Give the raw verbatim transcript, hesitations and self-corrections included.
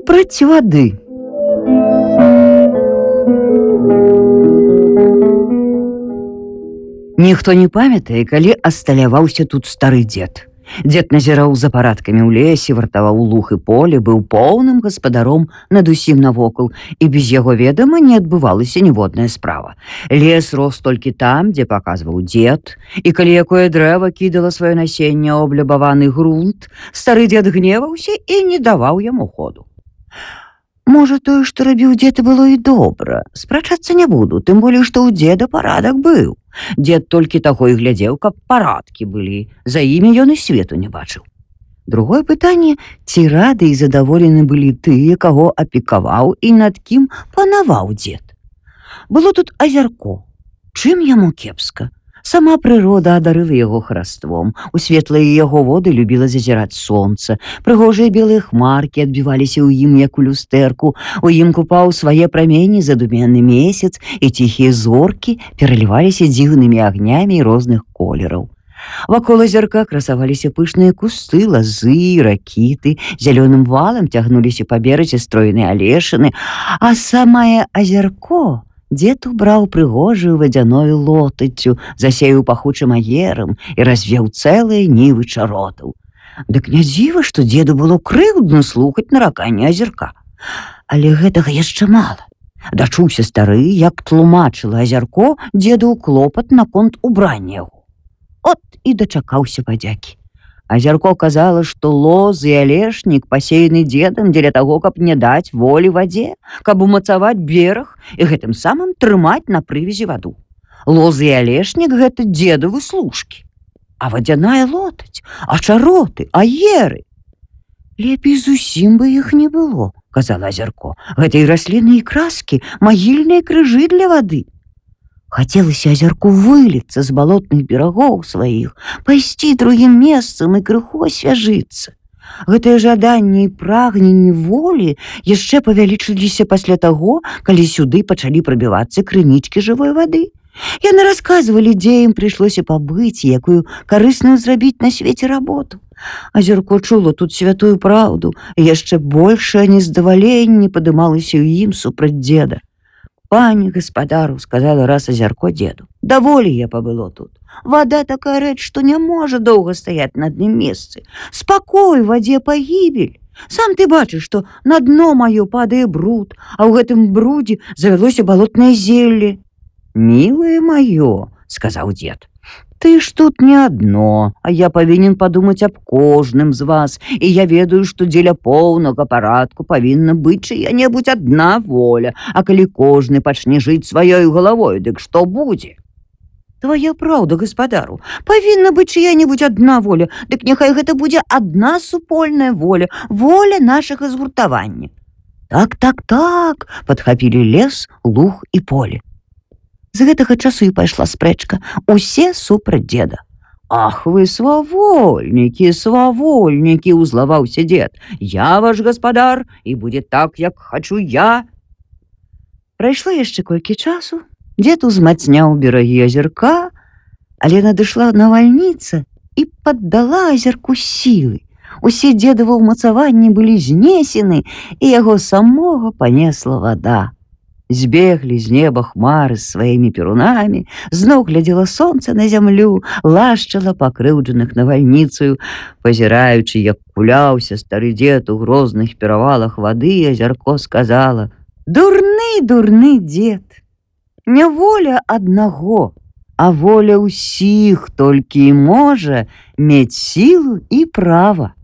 супраць вады. Ніхто не памятае, калі асталяваўся тут стары дзед. Дзед назіраў за парадкамі ў лесе, вартаваў луг і поле, быў поўным гаспадаром над усім навокал, і без яго ведама не адбывалася ніводная справа. Лес рос толькі там, дзе паказваў дзед, і калі якое дрэва кідала сваё насенне ў аблюбаваны грунт, стары дзед гневаўся і не даваў яму ходу. Можа, тое, што рабіў дзед, і было і добра. Спрачацца не буду, тым болей, што ў дзеда парадак быў. Дзед толькі таго і глядзеў, каб парадкі былі. За імі ён і свету не бачыў. Другое пытанне, ці рады і задаволены былі тыя, каго апекаваў і над кім панаваў дзед. Было тут азярко. Чым яму кепска? Сама прырода адарыла яго хараством. У светлыя яго воды любіла зазіраць сонца. Прыгожыя белыя хмаркі адбіваліся ў ім, як у люстэрку. У ім купаў свае прамені задуменны месяц, і ціхія зоркі пераліваліся дзіўнымі агнямі розных колераў. Вакол азярка красаваліся пышныя кусты, лазы, ракіты. Зялёным валам цягнуліся па беразе стройныя алешыны, а самае азярко дзед убраў прыгожую вадзяною лотаццю, засеяў пахучым аерам і развеў цэлыя нівы чаротаў. Дык не дзіва, што дзеду было крыўдна слухаць нараканне азярка. Але гэтага яшчэ мала. Дачуўся стары, як тлумачыла азярко дзеду клопат наконт убрання яго. От і дачакаўся падзякі. Азярко казала, што лоз і алешнік пасеяны дзедам дзеля таго, каб не даць волі вадзе, каб умацаваць бераг і гэтым самым трымаць на прывязі ваду. Лозы і алешнік — гэта дзедавы служкі. А вадзяная лотаць, а чароты, аеры. Лепей зусім бы іх не было, казала азярко. Гэта і расліны, і краскі, магільныя крыжы для вады. Хацелася азярку выліцца з балотных берагоў сваіх, пайсці другім месцам і крыху асвяжыцца. Гэтае жаданне і прагненне волі яшчэ павялічыліся пасля таго, калі сюды пачалі прабівацца крынічкі жывой вады. Яны расказвалі, дзе ім прыйшлося пабыць і якую карысную зрабіць на свеце работу. Азярко чула тут святую праўду, і яшчэ большае нездаваленне падымалася ў ім супраць дзеда. «Пане гаспадару, — сказала раз азярко дзеду, — даволі я пабыло тут. Вада такая рэч, што не можа доўга стаяць на адным месцы. Спакой, вадзе пагібель. Сам ты бачыш, што на дно маё падае бруд, а ў гэтым брудзе завялося балотнае зелле». «Мілае маё, — сказаў дзед, — ты ж тут не адно, а я павінен падумаць аб кожным з вас, і я ведаю, што дзеля поўнага парадку павінна быць чыя-небудзь адна воля, а калі кожны пачне жыць сваёй галавой, дык што будзе?» «Твая праўда, гаспадару, павінна быць чыя-небудзь адна воля, дык няхай гэта будзе адна супольная воля, воля нашага згуртавання». «Так, так, так, — падхапілі лес, луг і поле». З гэтага часу і пайшла спрэчка. Усе супраць дзеда. «Ах вы, свавольнікі, свавольнікі! — узлаваўся дзед. Я ваш гаспадар, і будзе так, як хачу я». Прайшло яшчэ колькі часу. Дзед узмацняў берагі азярка, але надышла навальніца і паддала азярку сілы. Усе дзедавы ўмацаванні былі знесены, і яго самога панесла вада. Збеглі з неба хмары з сваімі перунамі, зноў глядзела сонца на зямлю, лашчала пакрыўджаных навальніцаю. Пазіраючы, як куляўся стары дзед у грозных перавалах вады, азярко сказала: «Дурны, дурны дзед! Не воля аднаго, а воля ўсіх толькі і можа мець сілу і права».